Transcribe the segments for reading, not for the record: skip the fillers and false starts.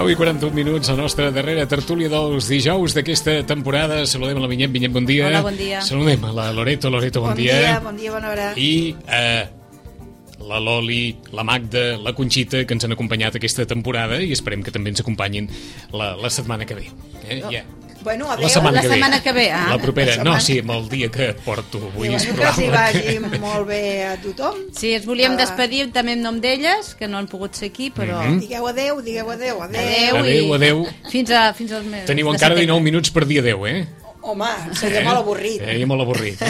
10:41, la nostra darrera tertúlia dels dijous d'aquesta temporada. Saludem a la Vinyet. Vinyet, bon dia. Hola, bon dia. Saludem a la Loreto. Loreto, bon dia. Bon dia, bona hora. I la Loli, la Magda, la Conxita, que ens han acompanyat aquesta temporada i esperem que també ens acompanyin la setmana que ve. Bueno, adéu. La setmana que ve. La propera. No, sí, amb el dia que porto avui. És probable que vagi molt bé a tothom. Sí, ens volíem despedir també en nom d'elles, que no han pogut ser aquí, però... Digueu adéu, digueu adéu. Adéu. Fins als mesos. Teniu encara 19 minuts per dir adéu, eh? Home, seria molt avorrit. Seria molt avorrit,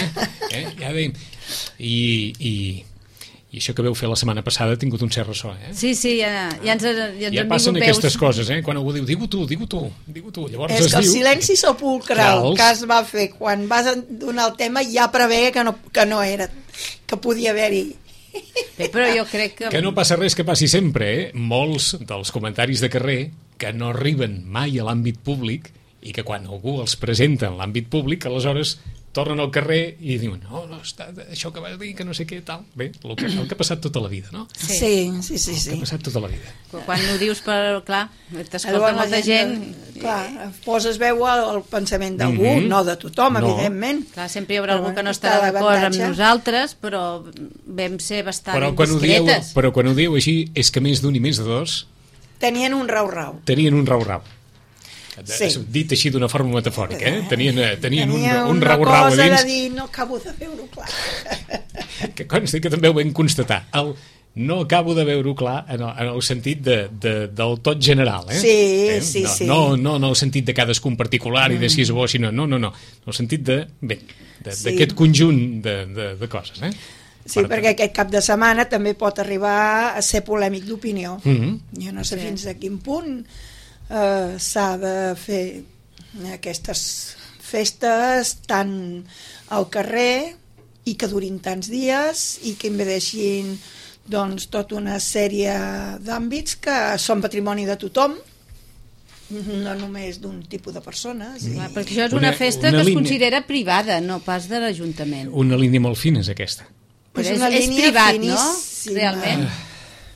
Ja veiem. I això que veu fer la setmana passada ha tingut un cert ressò, eh? Sí, ja ens han vingut passen veus. aquestes coses, eh? Quan algú diu, digue-ho tu. Llavors és que el silenci sepulcral que es va fer quan vas donar el tema ja preveia que no era, que podia haver-hi. Bé, però jo crec que... Que no passa res que passi sempre, eh? Molts dels comentaris de carrer que no arriben mai a l'àmbit públic i que quan algú els presenta en l'àmbit públic, aleshores tornen al carrer i diuen, no, això que vas dir, que no sé què, tal. Bé, el que ha passat tota la vida, no? Sí. El que ha passat tota la vida. Quan ho dius, clar, t'escolta molta gent... Clar, poses veu al pensament d'algú, no de tothom, evidentment. Clar, sempre hi haurà algú que no estarà d'acord amb nosaltres, però vam ser bastant discretes. Però quan ho diu així, és que més d'un i més de dos... Tenien un rau-rau. Sí. Dit així d'una forma metafòrica, eh? Tenien un rau-rau a dins. Una cosa de dir, no acabo de veure-ho clar. Que consti que també ho vam constatar. No acabo de veure-ho clar en el sentit del tot general, eh? Sí. No en el sentit de cadascun particular i de si és bo, sinó no. En el sentit d'aquest conjunt de coses, eh? Sí, perquè aquest cap de setmana també pot arribar a ser polèmic d'opinió. Jo no sé fins a quin punt s'ha de fer aquestes festes tant al carrer i que durin tants dies i que impedeixin doncs tota una sèrie d'àmbits que són patrimoni de tothom, no només d'un tipus de persones. Perquè això és una festa que es considera privada, no pas de l'Ajuntament. Una línia molt fina és aquesta. Però és privat, no? Realment.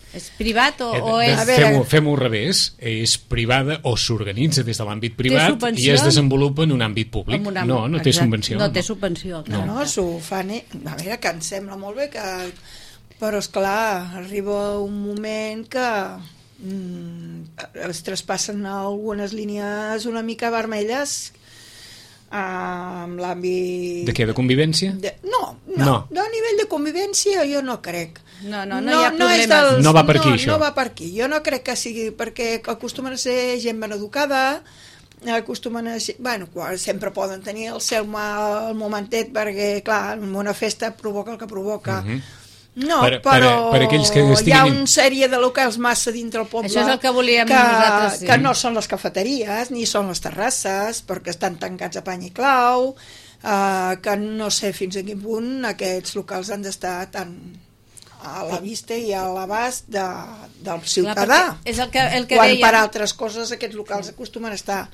És privat o és... Fem-ho al revés. És privada o s'organitza des de l'àmbit privat i es desenvolupa en un àmbit públic. No té subvenció. No té subvenció. No, s'ho fan... A veure, que em sembla molt bé que... Però, esclar, arriba un moment que es traspassen algunes línies una mica vermelles amb l'àmbit... De què? De convivència? No, a nivell de convivència jo no crec. No hi ha problemes. No va per aquí, això. No va per aquí. Jo no crec que sigui perquè acostumen a ser gent ben educada, acostumen a ser... Bueno, sempre poden tenir el seu mal momentet perquè, clar, una festa provoca el que provoca. No, però per aquells que hi ha una sèrie de locals massa dintre el poble. Això és el que volíem nosaltres. Que no són les cafeteries ni són les terrasses perquè estan tancats a pany i clau, que no sé fins a quin punt aquests locals han d'estar tan a la vista i a l'abast del ciutadà. És el que quan deia... per altres coses aquests locals acostumen a estar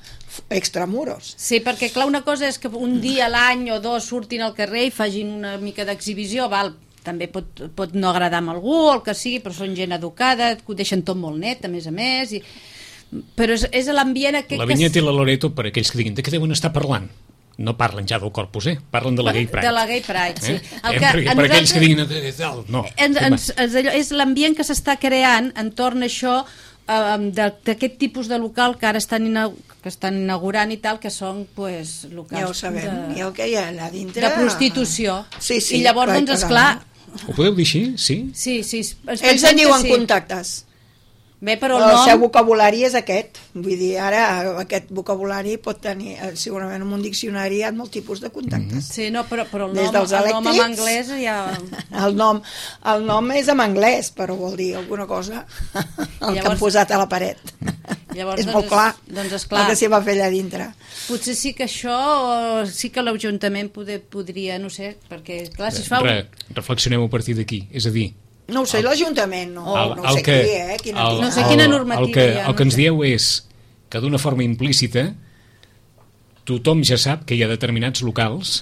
extramuros. Sí, perquè clar, una cosa és que un dia a l'any o dos surtin al carrer i facin una mica d'exhibició, també pot no agradar a algú o el que sigui, però són gent educada, ho deixen tot molt net, a més, però és l'ambient aquest... La Vinyet i la Loreto, per aquells que diguin de què deuen estar parlant, no parlen ja del Corpus, parlen de la Gay Pride. De la Gay Pride, sí. Per aquells que diguin no. És l'ambient que s'està creant entorn a això, d'aquest tipus de local que ara estan inaugurant i tal, que són locals... Ja ho sabem, i el que hi ha allà dintre... De prostitució. Sí, i llavors, doncs, esclar... Ho podeu dir així? Sí? Sí. Ells en diuen contactes. Bé, però el seu vocabulari és aquest. Vull dir, ara aquest vocabulari pot tenir, segurament en un diccionari hi ha molt tipus de contactes. Sí, no, però el nom en anglès ja... El nom és en anglès, però vol dir alguna cosa el que han posat a la paret. Llavors, és molt clar, doncs, esclar, el que s'hi va fer allà dintre. Potser sí que això, sí que l'Ajuntament podria, no sé, perquè clar, si es fa... Reflexionem a partir d'aquí, és a dir... No ho sé, l'Ajuntament, no sé qui, no sé quina normativa hi ha. El que ens dieu és que d'una forma implícita tothom ja sap que hi ha determinats locals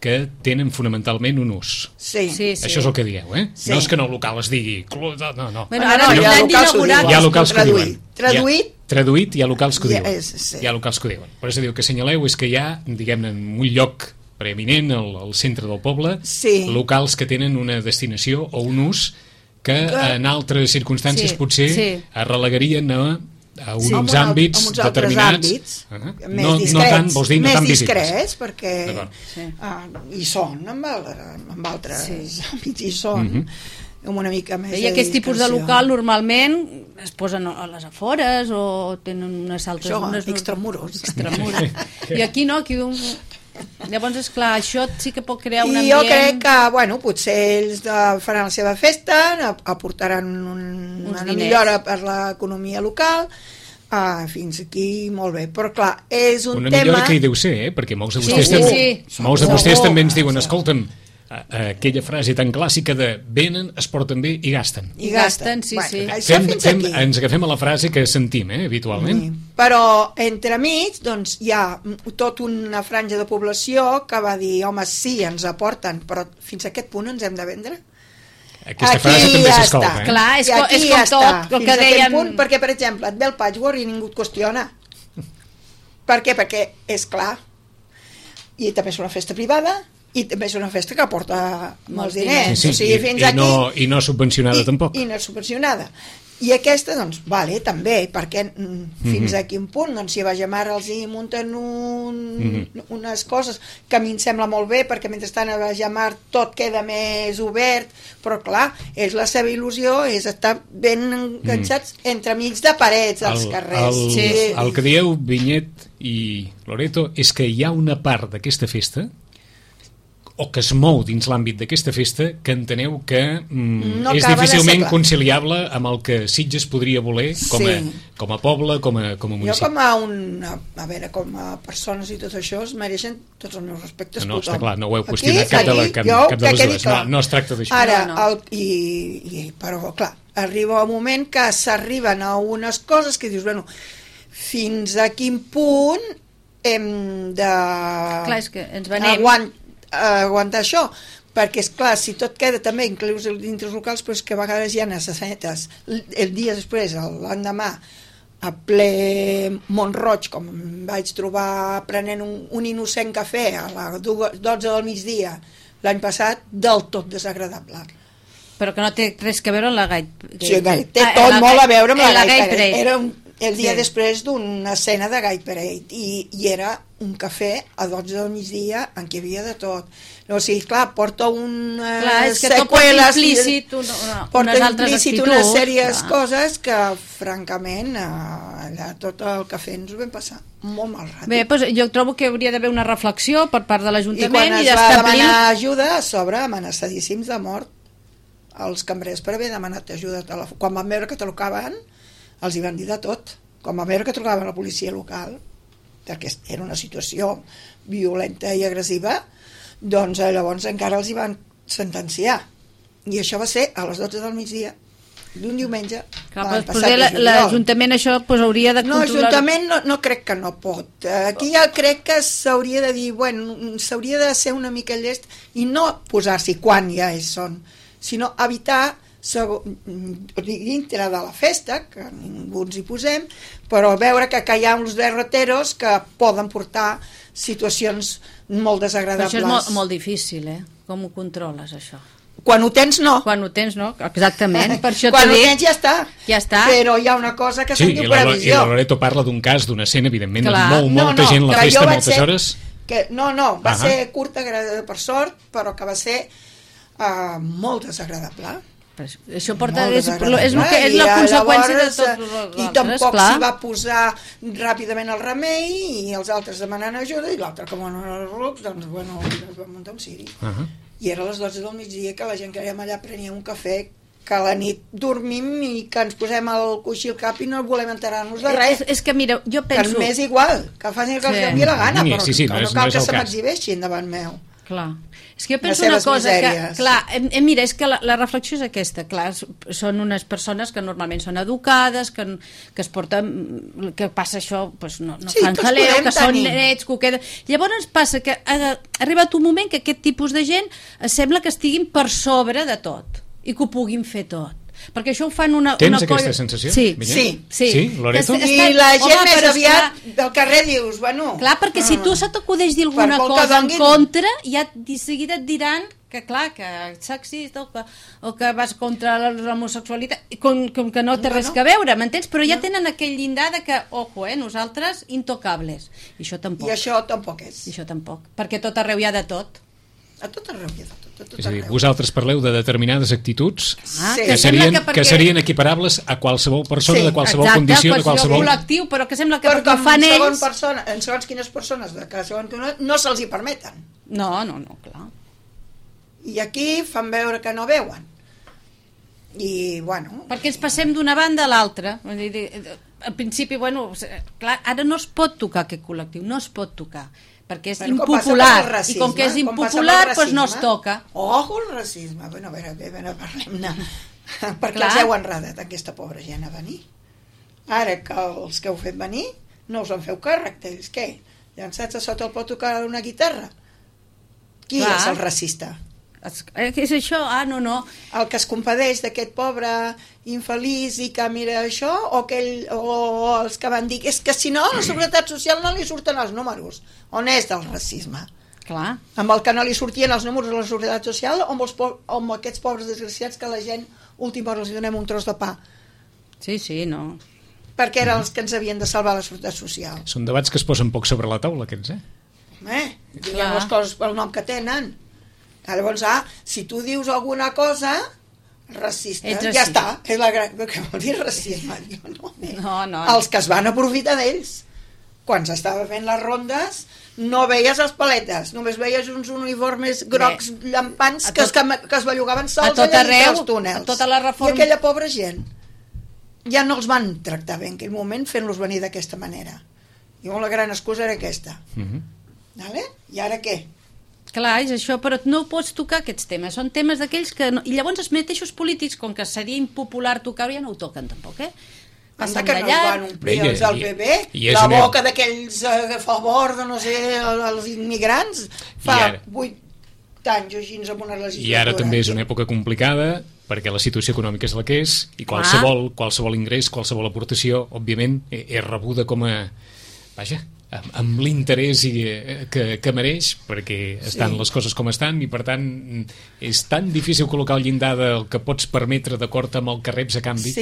que tenen fonamentalment un ús. Sí. Això és el que dieu, eh? Sí. No és que en el local es digui... No. Bueno, ara hi ha locals traduït Traduït, hi ha locals que ho Ja, diuen. sí. Hi ha locals que ho diuen. Per això diu que senyaleu és que hi ha, diguem-ne, en un lloc preeminent al centre del poble, Sí. locals que tenen una destinació o un ús que en altres circumstàncies Sí, potser sí. es relegarien a uns Amb àmbits amb uns altres determinats. àmbits, No, no tant, vols dir, no més tan visibles. discrets, perquè D'acord. hi són amb altres àmbits, hi són amb una mica més I aquest tipus de discreció. local normalment es posen a les afores o tenen unes altres... Això, unes extramuros. Extramuros. I aquí no, aquí... Llavors, esclar, això sí que pot crear un I ambient... jo crec que, bueno, potser ells faran la seva festa, aportaran una diners. millora per l'economia local, fins aquí molt bé, però clar, és un Una tema... millora que hi deu ser, perquè molts de vostès, Sí, també, sí. molts de vostès Segur. també ens diuen, escolta'm, aquella frase tan clàssica de venen, es porten bé i gasten. I gasten, sí, sí. Això fins aquí. Ens agafem a la frase que sentim, habitualment. Però entremig doncs, hi ha tota una franja de població que va dir, home, sí, ens aporten, però fins a aquest punt ens hem de vendre? Aquesta frase també s'escolta. Clar, és I aquí com ja tot està, el fins que a aquest deien... punt, perquè, per exemple, et ve el patchwork i ningú et qüestiona. Per què? Perquè és clar. I també és una festa privada i també és una festa que aporta molts diners. Sí, O sigui, fins aquí... I no subvencionada tampoc. I no és subvencionada. I aquesta, doncs, vale, també, perquè fins a quin punt, doncs, si a Bagemar els hi munten unes coses que a mi em sembla molt bé, perquè mentrestant a Bagemar tot queda més obert, però clar, és la seva il·lusió, és estar ben enganxats entremig de parets dels carrers. El que dieu, Vinyet i Loreto, és que hi ha una part d'aquesta festa o que es mou dins l'àmbit d'aquesta festa que enteneu que No és acaba de difícilment ser clar. conciliable amb el que Sitges podria voler com a poble, com a Jo municipi. a veure, com a persones i tot això es mereixen tots els meus respectes. No, està tothom. clar, no ho heu qüestionat cap de les dues. No es tracta d'això. Ara, No. però clar, arriba un moment que s'arriben a unes coses que dius, bueno, fins a quin punt hem de Clar, és que ens venem. aguantar això, perquè és clar, si tot queda també inclús dintre els locals, però és que a vegades hi ha necessitats el dia després, l'endemà a ple Mont-roig, com em vaig trobar prenent un innocent cafè a les 12 del migdia l'any passat, del tot desagradable. Però que no té res a veure amb la Sí, té tot molt a veure amb la Gay Parade. Era el dia Sí. després d'una escena de Gay Parade i era un cafè a 12 del migdia en què hi havia de tot. O sigui, clar, porta unes Clar, és que tot porta seqüeles, implícit porta unes altres implícit actituds. unes sèries Clar. coses que, francament, allà tot el cafè ens ho vam passar molt mal rato. Bé, doncs jo trobo que hauria d'haver una reflexió per part de I l'Ajuntament quan i es va d'establir... demanar ajuda, a sobre amenaçadíssims de mort els cambrers per haver demanat ajuda. Quan van veure que trucaven, els hi van dir de tot. Quan van veure que trucaven a la policia local, perquè era una situació violenta i agressiva, doncs llavors encara els hi van sentenciar. I això va ser a les 12 del migdia d'un diumenge. Clar, l'any doncs, passat potser de juliol. l'Ajuntament això doncs, hauria de No, controlar... l'Ajuntament no crec que no pot. Aquí ja crec que s'hauria de dir, bueno, s'hauria de ser una mica llest i no posar-s'hi quan ja són, sinó evitar dintre de la festa, que ningú ens hi posem, però veure que hi ha uns derroteros que poden portar situacions molt Però desagradables. això és molt difícil, Com ho controles, això? Quan ho tens, no. Quan ho tens, no? Exactament, per això Quan t'ho ho dic. tens ja està. Ja està. Però hi ha una cosa que Sí, se'n i diu la previsió. Loreto parla d'un cas, d'una escena, evidentment, Clar. amb molta gent a la que festa, jo vaig moltes ser- hores. No, va ser curta per sort, però que va ser molt desagradable. Però això porta... Molt És desagradable. és la I conseqüència de llavors, tot l'altres, I tampoc clar. s'hi va posar ràpidament el remei i els altres demanant ajuda i l'altre, com no era el rucs, doncs bueno, es va muntar un ciri. I era a les 12 del migdia que la gent que érem allà prenia un cafè, que a la nit dormim i que ens posem el coixí al cap i no volem enterar-nos de res. És que mira, jo penso... Que m'és igual, que facin el que els doni la gana, però Sí, no no és cal el que se cas. m'exhibeixin davant meu. Clar. És que jo penso Les una seves cosa, misèries. que, clar, mira, és que la reflexió és aquesta, clar, són unes persones que normalment són educades, que es porten, que passa això, doncs no Sí, fan tots jaleo, podem que són tenir. nets, que ho queda... Llavors passa que ha arribat un moment que aquest tipus de gent sembla que estiguin per sobre de tot i que ho puguin fer tot. perquè això ho fan una Tens aquesta sensació? Sí. Sí, Loreto? I la gent més aviat del carrer dius, bueno... Clar, perquè si tu se t'acudeix dir alguna cosa en contra, ja de seguida et diran que clar, que ets sexista o que vas contra l'homosexualitat, com que no té res que veure, m'entens? Però ja tenen aquell llindar de que, ojo, nosaltres intocables. I això tampoc. I això tampoc és. I això tampoc, perquè tot arreu hi ha de tot. A tot arreu hi ha de tot. És a dir, vosaltres parleu de determinades actituds que perquè... serien equiparables a qualsevol persona, de qualsevol condició, de qualsevol col·lectiu, però que sembla que perquè ho fan ells... En segons quines persones no se'ls hi permeten. No, clar. I aquí fan veure que no veuen. I, bueno... Perquè ens passem d'una banda a l'altra. Al principi, bueno, clar, ara no es pot tocar aquest col·lectiu, no es pot tocar, perquè és impopular, i com que és impopular, doncs no es toca. Ojo, el racisme. Bueno, a veure, parlem-ne. Perquè clar. els heu enredat aquesta pobra gent a venir. Ara que els que heu fet venir no us en feu càrrec, d'ells què? Llançats a sota el pot tocar una guitarra? Qui és el racista? És això? No. El que es compadeix d'aquest pobre infeliç i que mira això, o els que van dir és que si no a la Seguretat Social no li surten els números. On és del racisme? Clar. Amb el que no li sortien els números a la Seguretat Social o amb aquests pobres desgraciats que la gent última hora els donem un tros de pa. Sí, no. Perquè eren els que ens havien de salvar la Seguretat Social. Són debats que es posen poc sobre la taula, aquests, diguem les coses pel nom que tenen. Llavors, si tu dius alguna cosa racista, ja està, és la gran... Què vol dir racisme? No. Els que es van aprofitar d'ells. Quan s'estava fent les rondes no veies els paletes, només veies uns uniformes grocs llampants que es bellugaven sols allà dintre els túnels. Tota la reforma... I aquella pobra gent ja no els van tractar bé en aquell moment fent-los venir d'aquesta manera. I la gran excusa era aquesta. Vale? I ara què? Clar, és això, però no pots tocar aquests temes, són temes d'aquells que... No... I llavors els mateixos polítics, com que seria impopular tocar-ho, ja no ho toquen tampoc, Anda que no es van omplir els del PP, la boca d'aquells a favor de, no sé, els immigrants, fa 8 anys o així amb una legislatura. I ara també és una època complicada, perquè la situació econòmica és la que és, i qualsevol ingrés, qualsevol aportació, òbviament, és rebuda com a... Vaja, amb l'interès que mereix, perquè estan les coses com estan, i per tant és tan difícil col·locar el llindar del que pots permetre d'acord amb el que reps a canvi.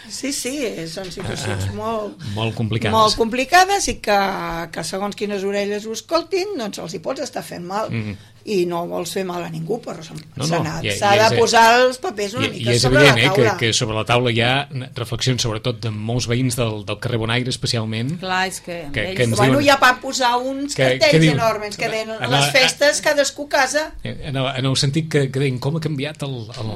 Sí, són situacions molt complicades. Molt complicades i que segons quines orelles ho escoltin, doncs els hi pots estar fent mal. I no vols fer mal a ningú, però s'ha de posar els papers una mica sobre la taula. I és evident que sobre la taula hi ha reflexions, sobretot de molts veïns del carrer Bonaire, especialment. Clar, és que ens diuen... ja van posar uns cartells enormes que deien a les festes cadascú casa. En el sentit que deien com ha canviat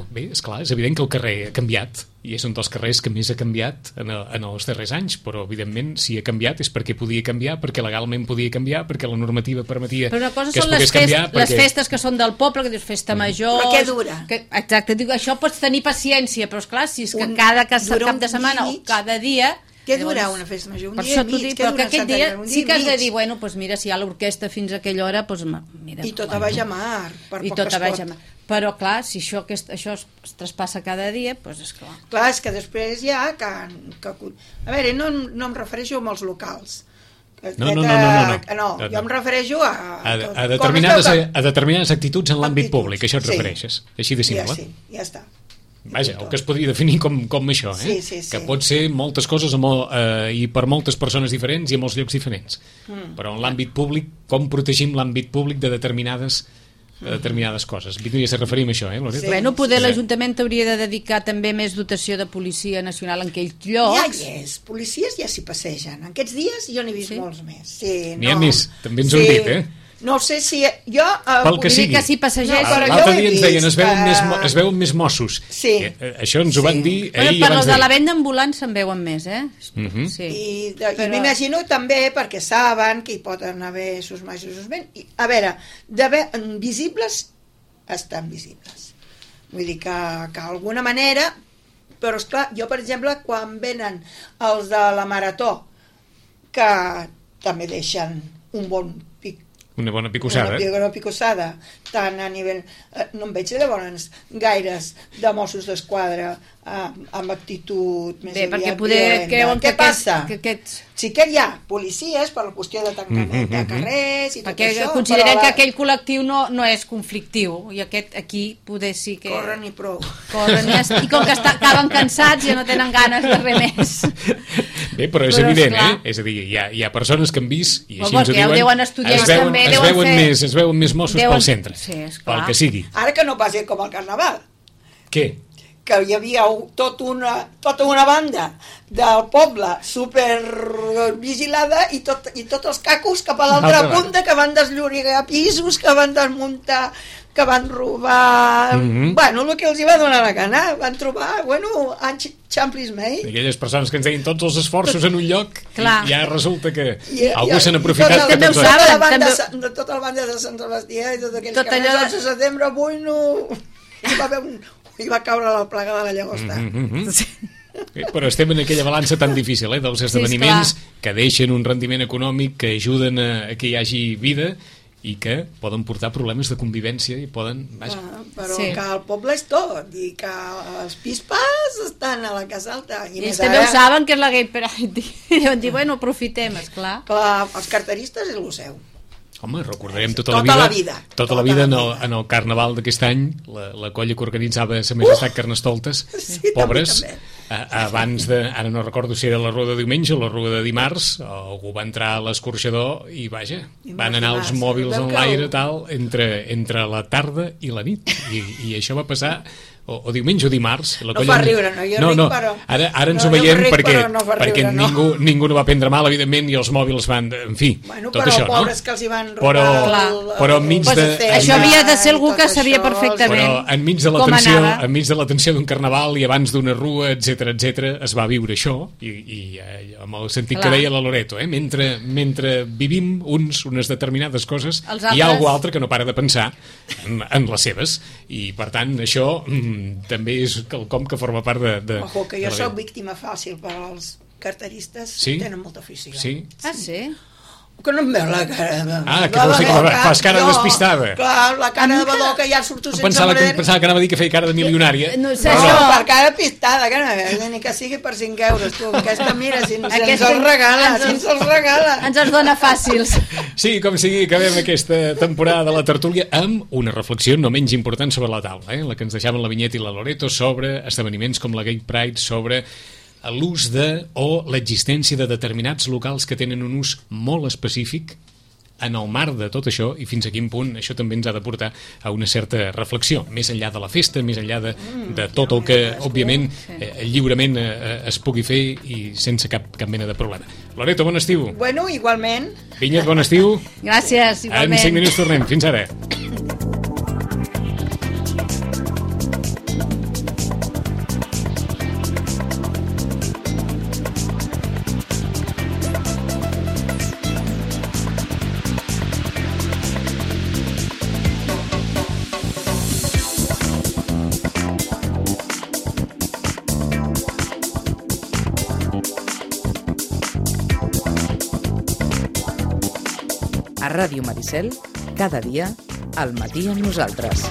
Bé, esclar, és evident que el carrer ha canviat, i és un dels carrers que més ha canviat en els darrers anys, però evidentment si ha canviat és perquè podia canviar, perquè legalment podia canviar, perquè la normativa permetia que es pogués canviar. Les festes que són del poble, que dius festa major... Però què dura? Exacte, dic, això pots tenir paciència, però esclar, si és que cada cap de setmana o cada dia... Què dura una festa major? Un dia i mig? Però que aquest dia sí que has de dir, bueno, doncs mira, si hi ha l'orquestra fins a aquella hora, doncs mira... I tot a baix a mar, per poc que es pot. Però clar, si això es traspassa cada dia, doncs és clar. Clar, és que després hi ha que... A veure, no em refereixo als locals. No. Jo em refereixo a determinades actituds en l'àmbit públic, això et refereixes, així de simple. Ja està. Vaja, el que es podria definir com això, que pot ser moltes coses i per moltes persones diferents i a molts llocs diferents. Però en l'àmbit públic, com protegim l'àmbit públic de determinades coses. Vindria a referir a això, Loreto? Bueno, poder l'Ajuntament hauria de dedicar també més dotació de policia nacional en aquells llocs. Ja hi és, policies ja s'hi passegen. En aquests dies jo n'he vist molts més. N'hi ha més, també ens ho han dit, No sé si... Jo... Pel que sigui. Que s'hi passegeix. L'altre dia ens deien, es veuen més Mossos. Sí. Això ens ho van dir ahir i per abans els de la venda ambulant se'n veuen més, Sí. I m'imagino també perquè saben que hi poden haver sus més i sus menys. A veure, visibles estan visibles. Vull dir que d'alguna manera... Però esclar, jo per exemple, quan venen els de la Marató, que també deixen un bon pic Una bona picossada. Una picossada, tant a nivell... no en veig llavors gaires de Mossos d'Esquadra amb actitud més bé, perquè aviat poder violenta. Què passa? Que Sí que hi ha policies per la qüestió de tancament de carrers i tot perquè això. considerem que aquell col·lectiu no és conflictiu i aquest aquí poder sí que... Corren i prou. Corren i com que acaben cansats ja no tenen ganes de res més. Bé, però és evident, És a dir, hi ha persones que han vist i així ens ho diuen, deuen estudiar també, es veuen més Mossos pel centre, pel que sigui. Ara que no passi com al Carnaval. Què? Que hi havia tota una banda del poble super vigilada i tots els cacos cap a l'altra punta que van desllorigar pisos, que van desmuntar, que van robar... Bueno, el que els hi va donar la gana. Van trobar, xamplis mei. Aquelles persones que ens deien tots els esforços en un lloc i ja resulta que algú se n'ha aprofitat. També ho saben. Tota la banda de Sant Sebastià i tot aquells carrers del 11 de setembre, avui no... Hi va caure la plaga de la llagosta. Però estem en aquella balança tan difícil, dels esdeveniments que deixen un rendiment econòmic, que ajuden a que hi hagi vida i que poden portar problemes de convivència i poden... Però que el poble és tot i que els pispes estan a la Casa Alta. I ells també ho saben que és la Gay Pride i deuen dir, bueno, aprofitem, esclar. Clar, els carteristes és el seu. Home, recordarem tota la vida en el Carnaval d'aquest any, la colla que organitzava Sa Majestat Carnestoltes, pobres, abans de, ara no recordo si era la rua de diumenge o la rua de dimarts, algú va entrar a l'escorxador i vaja, van anar els mòbils en l'aire tal, entre la tarda i la nit, i això va passar o diumenge o dimarts. No fa riure, no? Jo ric, però... Ara ens ho veiem perquè ningú no va prendre mal, evidentment, i els mòbils van... En fi, tot això, no? Pobres que els hi van robar... Però enmig de... Això havia de ser algú que sabia perfectament però enmig de la tensió d'un carnaval i abans d'una rua, etc, es va viure això, i amb el sentit que deia la Loreto, mentre vivim unes determinades coses, hi ha algú altre que no para de pensar en les seves, i per tant això també és quelcom que forma part de... Ojo, que jo soc víctima fàcil per als carteristes, tenen molta afició. Sí? Ah, sí? Que no em veu la cara... que vols dir que fas cara despistada. Clar, la cara de badó que ja surto sense manera... Pensava que anava a dir que feia cara de milionària. No sé, per cara pistada, que no, ni que sigui per 5 euros, tu. Aquesta, mira, si ens els regala, Ens els dona fàcils. Sí, com sigui, acabem aquesta temporada de la tertúlia amb una reflexió no menys important sobre la taula, la que ens deixaven la Vinyet i la Loreto sobre esdeveniments com la Gay Pride, sobre l'ús o l'existència de determinats locals que tenen un ús molt específic en el marc de tot això, i fins a quin punt això també ens ha de portar a una certa reflexió, més enllà de la festa, més enllà de tot el que, òbviament, lliurement es pugui fer i sense cap mena de problema. Loreto, bon estiu. Bueno, igualment. Vinyet, bon estiu. Gràcies, igualment. En 5 minuts tornem. Fins ara. A Ràdio Maricel, cada dia, al matí amb nosaltres.